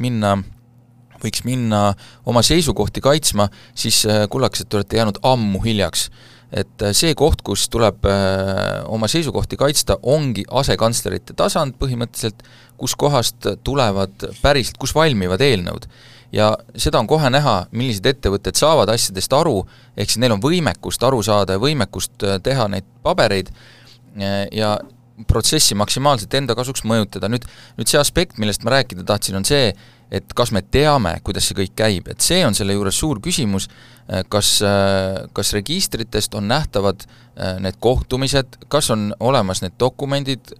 minna oma seisukohti kaitsma, siis kullakesed te olete jäänud ammu hiljaks. Et see koht, kus tuleb oma seisukohti kaitsta, ongi asekantslerite tasand põhimõtteliselt, kus kohast tulevad päriselt, kus valmivad eelnõud. Ja seda on kohe näha, millised ettevõtted saavad asjadest aru, ehk siis neil on võimekust aru saada ja võimekust teha neid pabereid ja protsessi maksimaalselt enda kasuks mõjutada. Nüüd see aspekt, millest ma rääkida tahtsin, on see, et kas me teame, kuidas see kõik käib, et see on selle juures suur küsimus, kas registritest on nähtavad need kohtumised, kas on olemas need dokumendid,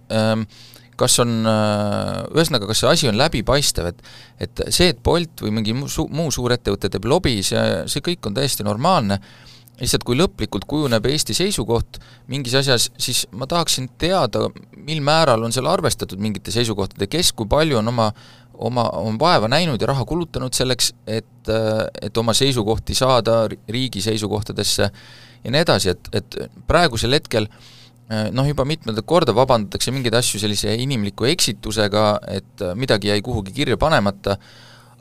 kas see asi on läbipaistev, et see, et Bolt või mingi muu suur ettevõte teeb lobi, see kõik on täiesti normaalne. Lihtsalt kui lõplikult kujuneb Eesti seisukoht mingis asjas, siis ma tahaksin teada, mil määral on seal arvestatud mingite seisukohtade, kes kui palju on oma vaeva näinud ja raha kulutanud selleks, et oma seisukohti saada riigi seisukohtadesse ja nii edasi, et praegusel hetkel juba mitmendat korda vabandatakse mingeid asju sellise inimliku eksitusega, et midagi jäi kuhugi kirja panemata,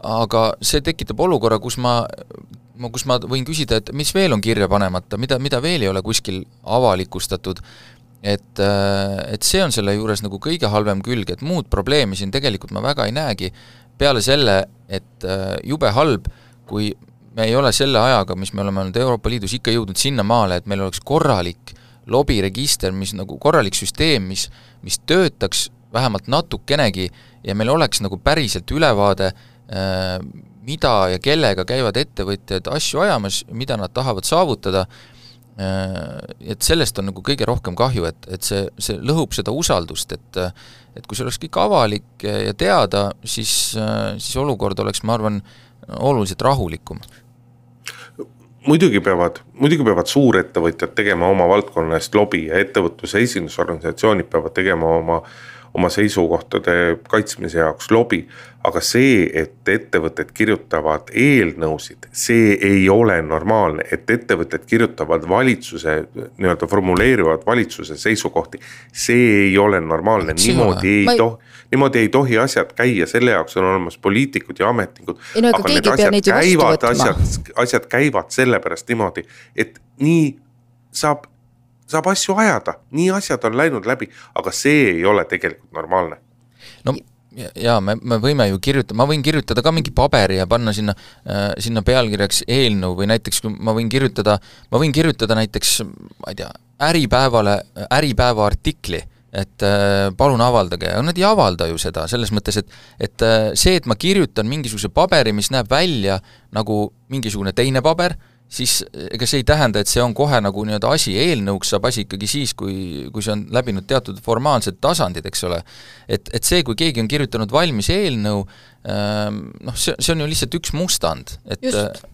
aga see tekitab olukorra, kus ma võin küsida, et mis veel on kirja panemata, mida veel ei ole kuskil avalikustatud, et see on selle juures nagu kõige halvem külg, et muud probleemi siin tegelikult ma väga ei näegi, peale selle, et jube halb, kui me ei ole selle ajaga, mis me oleme olnud Euroopa Liidus ikka jõudnud sinna maale, et meil oleks korralik lobiregister, mis nagu korralik süsteem, mis töötaks vähemalt natukenegi ja meil oleks nagu päriselt ülevaade, mida ja kellega käivad ettevõtjad asju ajamas, mida nad tahavad saavutada, et sellest on nagu kõige rohkem kahju, et see lõhub seda usaldust, et kui see oleks kõik avalik ja teada, siis olukord oleks, ma arvan, oluliselt rahulikum. Muidugi peavad suurettevõtjad tegema oma valdkonna eest lobi ja ettevõtluse esindusorganisatsioonid peavad tegema oma seisukohtade kaitsmise jaoks lobi, aga see, et ettevõtted kirjutavad eelnõusid, see ei ole normaalne, et ettevõtted kirjutavad valitsuse, nii-öelda formuleerivad valitsuse seisukohti, see ei ole normaalne, niimoodi ei tohi asjad käia, selle jaoks on olemas poliitikud ja ametnikud, aga need asjad käivad sellepärast niimoodi, et nii saab asju ajada, nii asjad on läinud läbi, aga see ei ole tegelikult normaalne. No jaa, me võime ju ma võin kirjutada ka mingi paberi ja panna sinna pealkirjaks eelnõu või näiteks ma võin kirjutada näiteks, ma ei tea, Äripäeva artikli, et palun avaldage, aga nad ei avalda ju seda, selles mõttes, et see, et ma kirjutan mingisuguse paberi, mis näeb välja nagu mingisugune teine paber, siis ega see ei tähenda, et see on kohe nagu nii-öelda asi, eelnõuks saab asi ikkagi siis, kui see on läbinud teatud formaalsed tasandid, eks ole. Et see, kui keegi on kirjutanud valmis eelnõu, see on ju lihtsalt üks mustand. Just.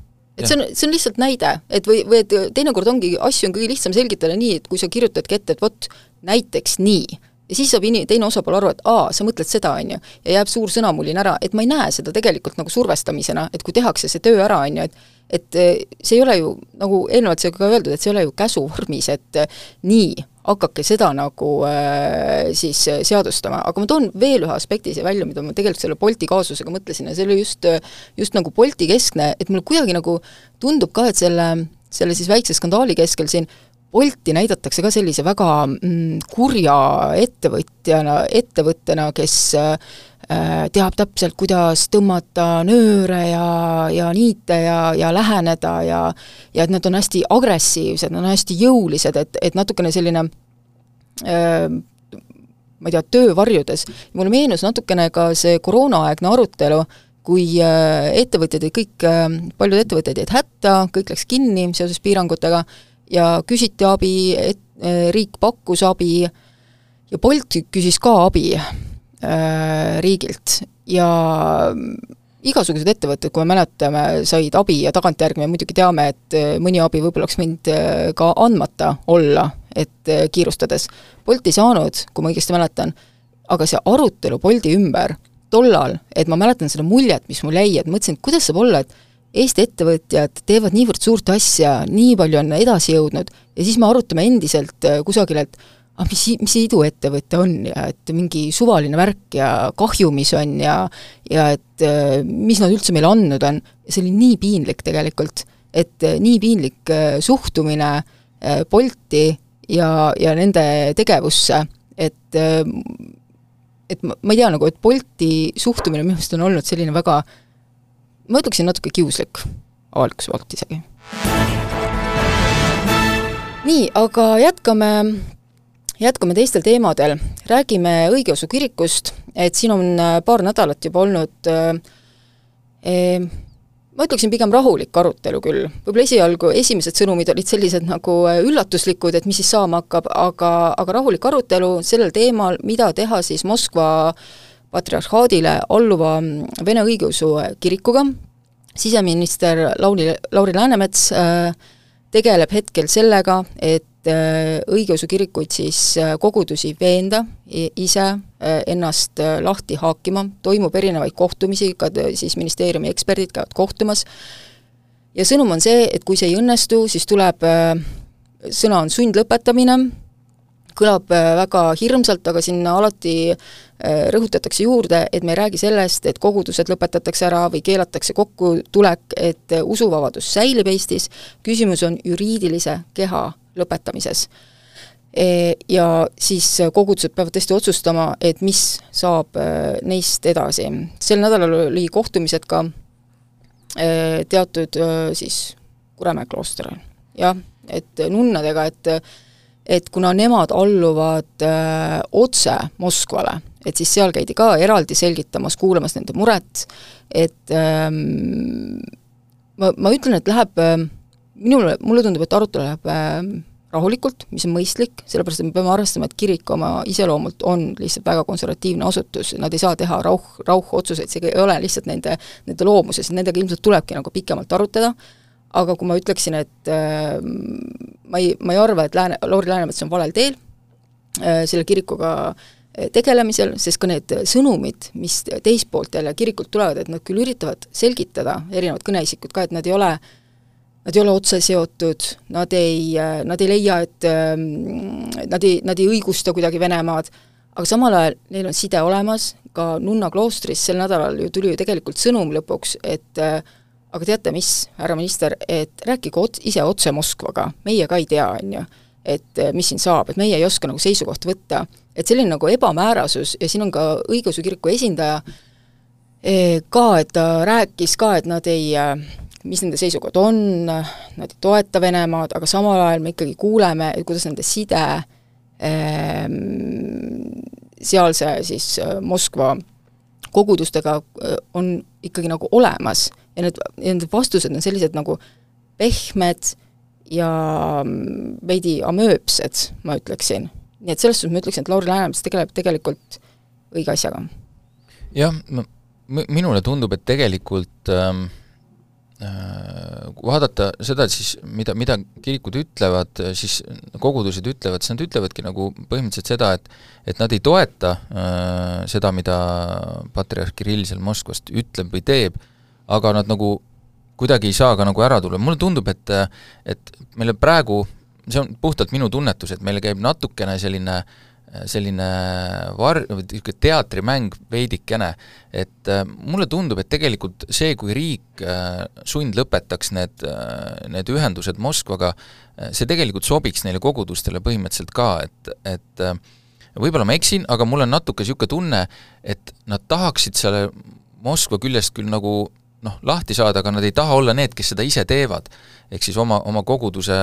Et see on lihtsalt näide, et või et teinekord ongi asju on kõige lihtsam selgitada nii, et kui sa kirjutadki ette, et vot näiteks nii, ja siis saab teine osapool aru, et sa mõtled seda, on ju, ja jääb suur sõnamulin ära, et ma ei näe seda tegelikult nagu survestamisena, et kui tehakse see töö ära, on ju, et see ei ole ju, nagu eelnevalt see ka öeldud, et see ei ole ju käsuvormis, et nii, hakake seda nagu siis seadustama, aga ma toon veel ühe aspekti see välja, mida ma tegelikult selle Bolti kaasusega mõtlesin ja see oli just nagu Bolti keskne, et mulle kuidagi nagu tundub ka, et selle siis väikse skandaali keskel siin Bolti näidatakse ka sellise väga kurja ettevõttena, kes teab täpselt, kuidas tõmmata nööre ja niite ja läheneda ja et nad on hästi agressiivsed, nad on hästi jõulised, et natukene selline ma ei tea, töövarjudes. Mulle meenus natukene ka see koroonaaegne arutelu, kui ettevõtjad paljud ettevõtjad jäid hätta, kõik läks kinni seoses piirangutega ja küsiti abi, riik pakkus abi ja Bolt küsis ka abi riigilt ja igasugused ettevõtted, kui me mäletame, said abi ja tagantjärgi me muidugi teame, et mõni abi võib-olla oleks võinud ka andmata olla, et kiirustades. Bolt ei saanud, kui ma õigesti mäletan, aga see arutelu Bolti ümber tollal, et ma mäletan seda muljet, mis mul jäi, et mõtlesin, et kuidas saab olla, et Eesti ettevõtjad teevad niivõrd suurt asja, nii palju on edasi jõudnud ja siis me arutame endiselt kusagil, et mis iduettevõte on ja et mingi suvaline värk ja kahju, mis on ja et mis nad üldse meile andnud on. See oli nii piinlik tegelikult, et nii piinlik suhtumine Bolti ja nende tegevusse, et ma ei tea nagu, et Bolti suhtumine minu meelest on olnud selline väga, ma ütleksin natuke kiuslik avalikkuse poolt isegi. Nii, aga jätkame teistel teemadel. Räägime õigeusu kirikust, et siin on paar nädalat juba olnud, ma ütleksin pigem rahulik arutelu küll. Võib-olla esimesed sõnumid olid sellised nagu üllatuslikud, et mis siis saama hakkab, aga rahulik arutelu sellel teemal, mida teha siis Moskva patriarhaadile alluva Vene õigeusu kirikuga. Siseminister Lauri Läänemets tegeleb hetkel sellega, et õigeusu kirikuid siis kogudusi veenda ise ennast lahti haakima, toimub erinevaid kohtumisi, ka siis ministeeriumi eksperdid käivad kohtumas ja sõnum on see, et kui see ei õnnestu, siis tuleb, sõna on sundlõpetamine, kõlab väga hirmsalt, aga sinna alati rõhutatakse juurde, et me ei räägi sellest, et kogudused lõpetatakse ära või keelatakse kokkutulek, et usuvabadus säilib Eestis, küsimus on juriidilise keha lõpetamises. Ja siis kogudused peavad tõesti otsustama, et mis saab neist edasi. Sel nädalal oli kohtumised ka teatud siis Kuremäe kloosteril. Jah, et nunnadega, et kuna nemad alluvad otse Moskvale, et siis seal käidi ka eraldi selgitamas, kuulamas nende muret, et ma ütlen, et läheb, mulle tundub, et arutelu läheb rahulikult, mis on mõistlik, sellepärast, et me peame arvestama, et kirik oma iseloomult on lihtsalt väga konservatiivne asutus, nad ei saa teha rauhotsuseid, see ei ole lihtsalt nende loomuses, nendega ilmselt tulebki nagu pikemalt arutada, aga kui ma ütleksin, et ma ei arva, et Lauri Läänemets on valel teel, selle kirikuga tegelemisel, sest ka need sõnumid, mis teist poolt jälle kirikult tulevad, et nad küll üritavad selgitada, erinevad kõneisikud ka, et nad ei ole otse seotud, nad ei leia, et nad ei õigusta kuidagi Venemaad, aga samal ajal neil on side olemas, ka Nunna kloostris sel nädalal ju tuli ju tegelikult sõnum lõpuks, et aga teate mis, härra minister, et rääkige ise otse Moskvaga, meie ka ei tea, on ju, et mis siin saab, et meie ei oska nagu seisukoht võtta, et selline nagu ebamäärasus ja siin on ka õigeusu kiriku esindaja ka, et ta rääkis ka, et nad ei, mis nende seisukoht on, nad ei toeta Venemaad, aga samal ajal me ikkagi kuuleme, kuidas nende side sealse siis Moskva kogudustega on ikkagi nagu olemas ja need vastused on sellised nagu pehmed ja veidi amööpsed, ma ütleksin. Nii et selles suhtes ma ütleksin, et Lauri Läänemets tegeleb tegelikult õige asjaga. Jah, minule tundub, et tegelikult vaadata seda siis, mida kirikud ütlevad, siis kogudused ütlevad, siis nad ütlevadki nagu põhimõtteliselt seda, et nad ei toeta seda, mida patriarh Kirill seal Moskvast ütleb või teeb, aga nad nagu kuidagi ei saa ka nagu ära tulla. Mulle tundub, et meile praegu, see on puhtalt minu tunnetus, et meile käib natukene selline teatrimäng veidikene, et mulle tundub, et tegelikult see, kui riik sund lõpetaks need ühendused Moskvaga, see tegelikult sobiks neile kogudustele põhimõtteliselt ka, et võib-olla ma eksin, aga mul on natuke niisugune tunne, et nad tahaksid selle Moskva küljest küll nagu lahti saada, aga nad ei taha olla need, kes seda ise teevad, ehk siis oma koguduse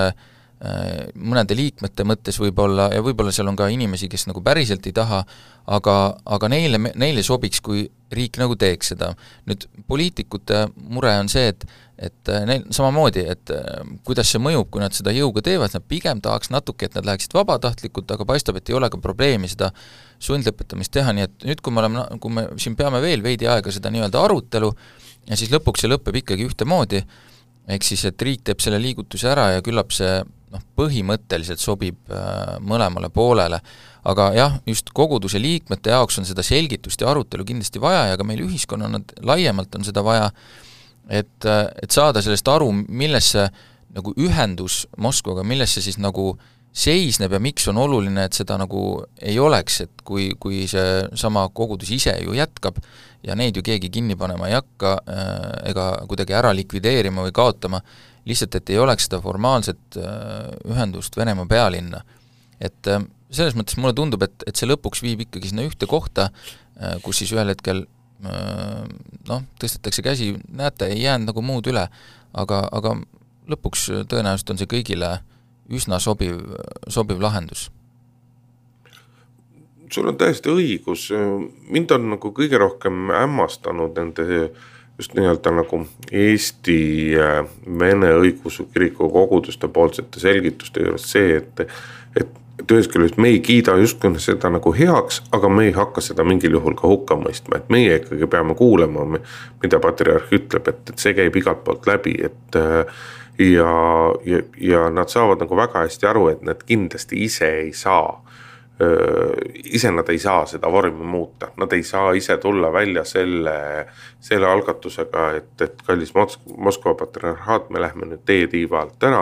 mõnede liikmete mõttes võib-olla, ja võib-olla seal on ka inimesi, kes nagu päriselt ei taha, aga neile sobiks, kui riik nagu teeks seda. Nüüd poliitikute mure on see, et neil samamoodi, et kuidas see mõjub, kui nad seda jõuga teevad, nad pigem tahaks natuke, et nad läheksid vabatahtlikult, aga paistab, et ei ole ka probleemi seda sundlõpetamist teha, nii et nüüd, kui me siin peame veel veidi aega seda nii-öelda arutelu, ja siis lõpuks see lõpeb ikkagi ühtemoodi, ehk siis, et riik teeb selle liigutuse ära ja küllap see põhimõtteliselt sobib mõlemale poolele, aga jah, just koguduse liikmete jaoks on seda selgitust ja arutelu kindlasti vaja ja ka meil ühiskonnana laiemalt on seda vaja, et saada sellest aru, milles see nagu ühendus Moskvaga, milles see siis nagu seisneb ja miks on oluline, et seda nagu ei oleks, et kui see sama kogudus ise ju jätkab ja neid ju keegi kinni panema ei hakka ega kuidagi ära likvideerima või kaotama, lihtsalt, et ei oleks seda formaalset ühendust Venemaa pealinna. Et selles mõttes mulle tundub, et see lõpuks viib ikkagi sinna ühte kohta, kus siis ühel hetkel tõstetakse käsi, näete, ei jäänud nagu muud üle, aga lõpuks tõenäoliselt on see kõigile üsna sobiv lahendus. Sul on täiesti õigus, mind on nagu kõige rohkem hämmastanud nende just nii-öelda nagu Eesti Vene õigeusu kiriku koguduste poolsete selgituste juures see, et ühest küljest me ei kiida justkui seda nagu heaks, aga me ei hakka seda mingil juhul ka hukka mõistma, et meie ikkagi peame kuulema, mida patriarh ütleb, et see käib igalt poolt läbi, et ja nad saavad nagu väga hästi aru, et nad kindlasti ise nad ei saa seda vormi muuta, nad ei saa ise tulla välja selle algatusega, et kallis Moskva patriarhaat, me lähme nüüd teie tiiva alt ära,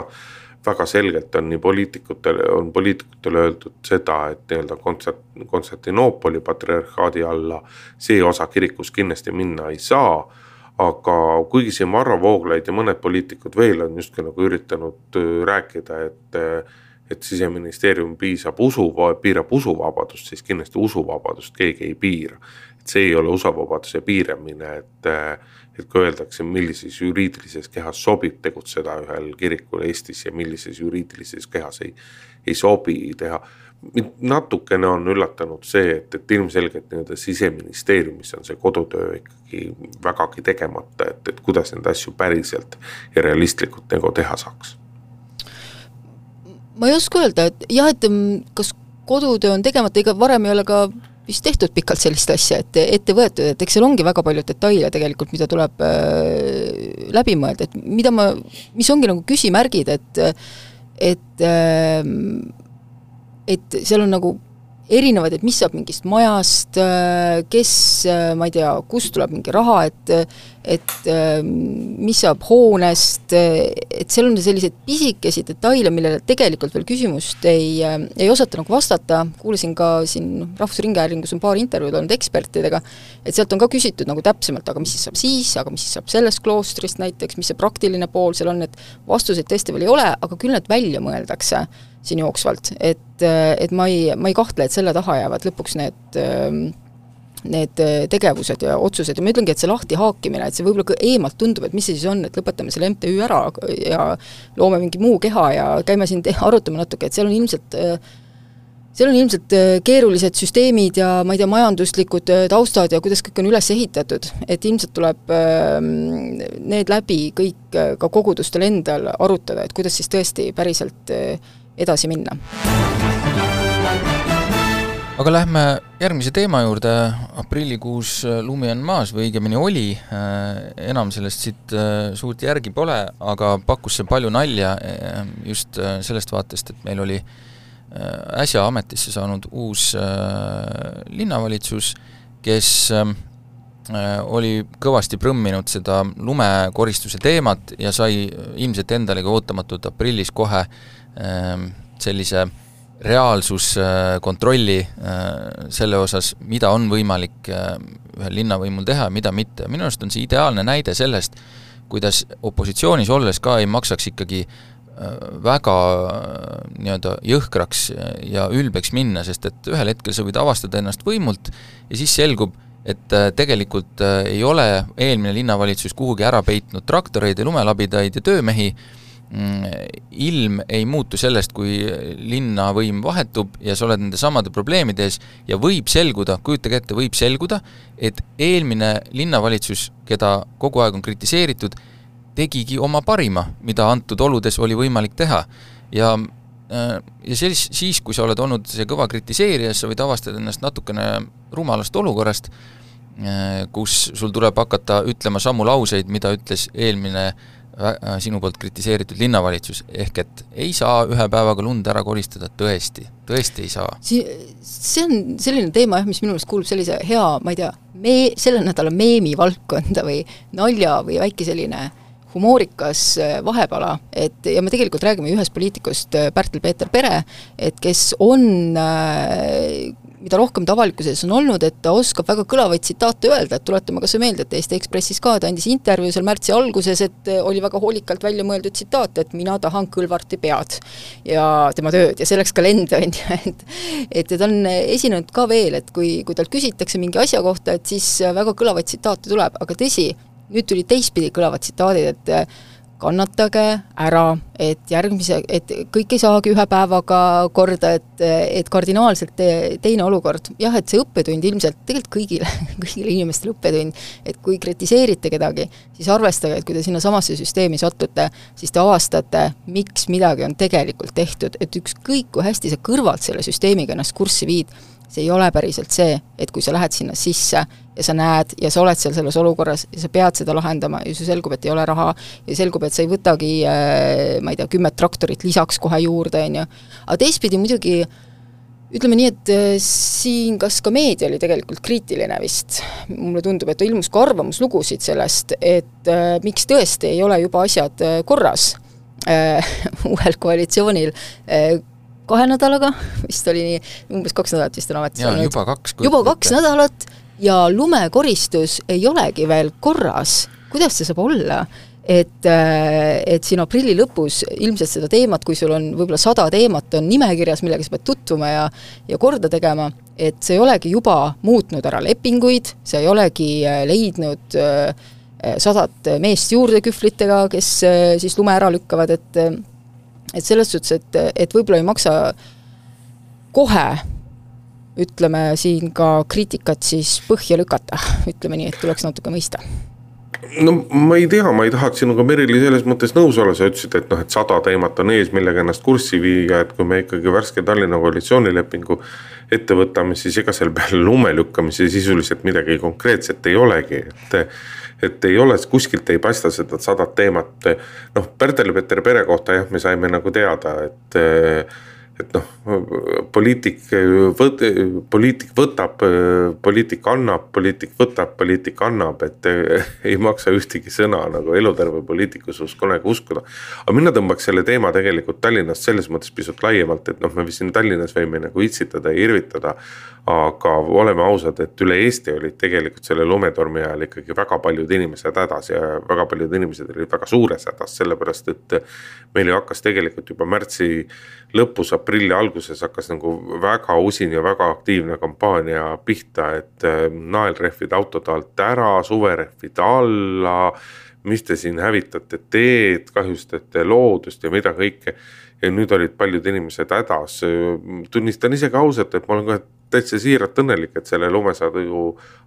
väga selgelt on poliitikutele öeldud seda, et nii-öelda Konstantinoopoli patriarhaadi alla see osa kirikus kindlasti minna ei saa, aga kuigi siin Varro Vooglaid ja mõned poliitikud veel on justkui nagu üritanud rääkida, et Siseministeerium piirab usuvabadust, siis kindlasti usuvabadust keegi ei piira. Et see ei ole usuvabaduse piiramine, et kui öeldakse, millises juriidilises kehas sobib tegutseda ühel kirikul Eestis ja millises juriidilises kehas ei sobi teha. Natukene on üllatanud see, et ilmselgelt nii-öelda Siseministeeriumis on see kodutöö ikkagi vägagi tegemata, et kuidas need asju päriselt ja realistlikult nagu teha saaks. Ma ei oska öelda, et jah, et kas kodutöö on tegemata, ega varem ei ole ka vist tehtud pikalt sellist asja, et ette võetud, et eks seal ongi väga palju detaile tegelikult, mida tuleb läbi mõelda, et mis ongi nagu küsimärgid, et seal on nagu erinevad, et mis saab mingist majast, kes, ma ei tea, kust tuleb mingi raha, et mis saab hoonest, et seal on sellised pisikesi detaile, millele tegelikult veel küsimust ei osata nagu vastata. Kuulasin ka siin Rahvusringhäälingus on paar intervjuud olnud ekspertidega, et sealt on ka küsitud nagu täpsemalt, aga mis siis saab siis, aga mis siis saab sellest kloostrist näiteks, mis see praktiline pool seal on, et vastuseid tõesti veel ei ole, aga küll need välja mõeldakse siin jooksvalt, et ma ei kahtle, et selle taha jäävad lõpuks need tegevused ja otsused ja ma ütlengi, et see lahti haakimine, et see võib-olla eemalt tundub, et mis see siis on, et lõpetame selle MTÜ ära ja loome mingi muu keha ja käime siin arutame natuke, et seal on ilmselt keerulised süsteemid ja ma ei tea, majanduslikud taustad ja kuidas kõik on üles ehitatud, et ilmselt tuleb need läbi kõik ka kogudustel endal arutada, et kuidas siis tõesti päriselt edasi minna. Aga lähme järgmise teema juurde. Aprillikuus lumi on maas või õigemini oli, enam sellest siit suurt järgi pole, aga pakkus see palju nalja just sellest vaatest, et meil oli äsja ametisse saanud uus linnavalitsus, kes oli kõvasti prõmminud seda lumekoristuse teemat ja sai ilmselt endalegi ootamatult aprillis kohe sellise reaalsuskontrolli selle osas, mida on võimalik ühel linnavõimul teha ja mida mitte. Minu arust on see ideaalne näide sellest, kuidas opositsioonis olles ka ei maksaks ikkagi väga nii-öelda jõhkraks ja ülbeks minna, sest et ühel hetkel sa võid avastada ennast võimult ja siis selgub, et tegelikult ei ole eelmine linnavalitsus kuhugi ära peitnud traktoreid ja lumelabidaid ja töömehi. Ilm ei muutu sellest, kui linnavõim vahetub ja sa oled nende samade probleemides ja võib selguda, kujutage ette, võib selguda, et eelmine linnavalitsus, keda kogu aeg on kritiseeritud, tegigi oma parima, mida antud oludes oli võimalik teha. Ja siis, kui sa oled olnud see kõva kritiseerija, sa võid avastada ennast natukene rumalast olukorrast, kus sul tuleb hakata ütlema samu lauseid, mida ütles eelmine sinu poolt kritiseeritud linnavalitsus, ehk et ei saa ühe päevaga lund ära koristada, tõesti ei saa. See on selline teema, mis minu meelest kuulub sellise hea, ma ei tea, selle nädala meemi valdkonda või nalja või väike selline humoorikas vahepala, ja me tegelikult räägime ühest poliitikust, Pärtel-Peeter Pere, et kes on mida rohkem ta avalikkuses on olnud, et ta oskab väga kõlavaid tsitaate öelda, et tuletame kas meelde, et Eesti Ekspressis ka ta andis intervjuu seal märtsi alguses, et oli väga hoolikalt välja mõeldud tsitaat, et mina tahan Kõlvarti pead ja tema tööd ja selleks ka lende on, et ta on esinenud ka veel, et kui talt küsitakse mingi asja kohta, et siis väga kõlavaid tsitaate tuleb, aga tõsi, nüüd tuli teistpidi kõlavad tsitaadid, et kannatage ära, et kõik ei saagi ühe päevaga korda, et kardinaalselt teine olukord. Jah, et see õppetund ilmselt tegelikult kõigile inimestele õppetund, et kui kritiseerite kedagi, siis arvestage, et kui te sinna samasse süsteemi satute, siis te avastate, miks midagi on tegelikult tehtud, et ükskõik kui hästi sa kõrvalt selle süsteemiga ennast kurssi viid, see ei ole päriselt see, et kui sa lähed sinna sisse ja sa näed ja sa oled seal selles olukorras ja sa pead seda lahendama ja see selgub, et ei ole raha ja selgub, et sa ei võtagi, ma ei tea, 10 traktorit lisaks kohe juurde, on ju. Aga teistpidi muidugi, ütleme nii, et siin kas ka meedia oli tegelikult kriitiline vist. Mulle tundub, et ilmus ka arvamuslugusid sellest, et miks tõesti ei ole juba asjad korras uuel koalitsioonil 2 nädalaga, vist oli nii, umbes 2 nädalat vist on ametis olnud. Juba 2 nädalat ja lumekoristus ei olegi veel korras. Kuidas see saab olla? Et siin aprilli lõpus ilmselt seda teemat, kui sul on võib-olla 100 teemat on nimekirjas, millega sa pead tutvuma ja korda tegema, et see ei olegi juba muutnud ära lepinguid, see ei olegi leidnud 100 meest juurde kühvlitega, kes siis lume ära lükkavad, et selles suhtes, et võib-olla ei maksa kohe, ütleme siin ka kriitikat siis põhja lükata, ütleme nii, et tuleks natuke mõista. No ma ei tea, ma ei tahaks sinuga Merili selles mõttes nõus olla, sa ütlesid, et 100 teemat on ees, millega ennast kurssi viiga, et kui me ikkagi värske Tallinna koalitsioonilepingu ette võtame, siis ega seal peale lume lükkamise sisuliselt midagi konkreetset ei olegi, et ei ole, kuskilt ei paista seda 100 teemat. Pärtel-Peeter Pere kohta jah, me saime nagu teada, et poliitik võtab, poliitik annab, poliitik annab, et ei maksa ühtegi sõna nagu eluterve poliitikus kunagi uskuda. Aga mina tõmbaks selle teema tegelikult Tallinnast selles mõttes pisut laiemalt, et me siin Tallinnas võime nagu itsitada ja irvitada, aga oleme ausad, et üle Eesti olid tegelikult selle lumetormi ajal ikkagi väga paljud inimesed hädas ja väga paljud inimesed olid väga suures hädas, sellepärast et meil hakkas tegelikult juba märtsi lõpus, aprilli alguses hakkas nagu väga usin ja väga aktiivne kampaania pihta, et naelrehvid autode alt ära, suverehvid alla, mis te siin hävitate teed, kahjustate loodust ja mida kõike. Ja nüüd olid paljud inimesed hädas. Tunnistan isegi ausalt, et ma olen ka täitsa siiralt õnnelik, et selle lumesadu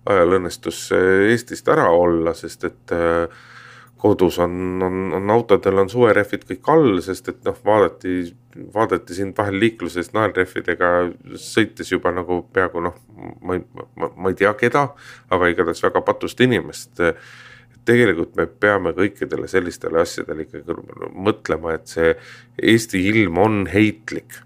ajal õnnestus Eestist ära olla, sest et kodus on autodel on suverehvid kõik all, sest et vaadati siin vahel liikluses naelrehvidega sõites juba nagu peaaegu ma ei tea keda, aga igatahes väga patust inimest. Tegelikult me peame kõikidele sellistele asjadele ikkagi mõtlema, et see Eesti ilm on heitlik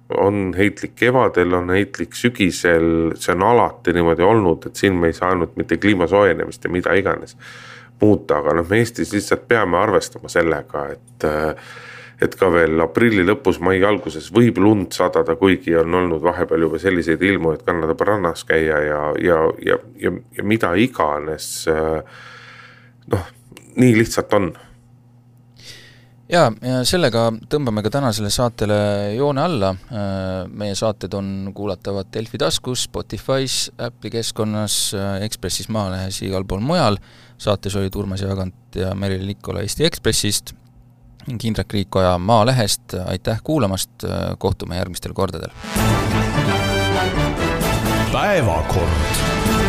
kevadel, on heitlik sügisel, see on alati niimoodi olnud, et siin me ei saanud mitte kliima soojenemist ja mida iganes muuta, aga me Eestis lihtsalt peame arvestama sellega, et ka veel aprilli lõpus, mai alguses võib lund sadada, kuigi on olnud vahepeal juba selliseid ilmu, et kannatab rannas käia ja mida iganes. Nii lihtsalt on. Ja sellega tõmbame ka tänasele saatele joone alla. Meie saated on kuulatavad Delfi taskus, Spotify's, Apple'i keskkonnas, Ekspressis, Maalehes, igal pool mujal. Saates oli Urmas Jaagant ja Merili Nikola Eesti Ekspressist ning Indrek Riikoja Maalehest. Aitäh kuulamast, kohtume järgmistel kordadel. Päevakord.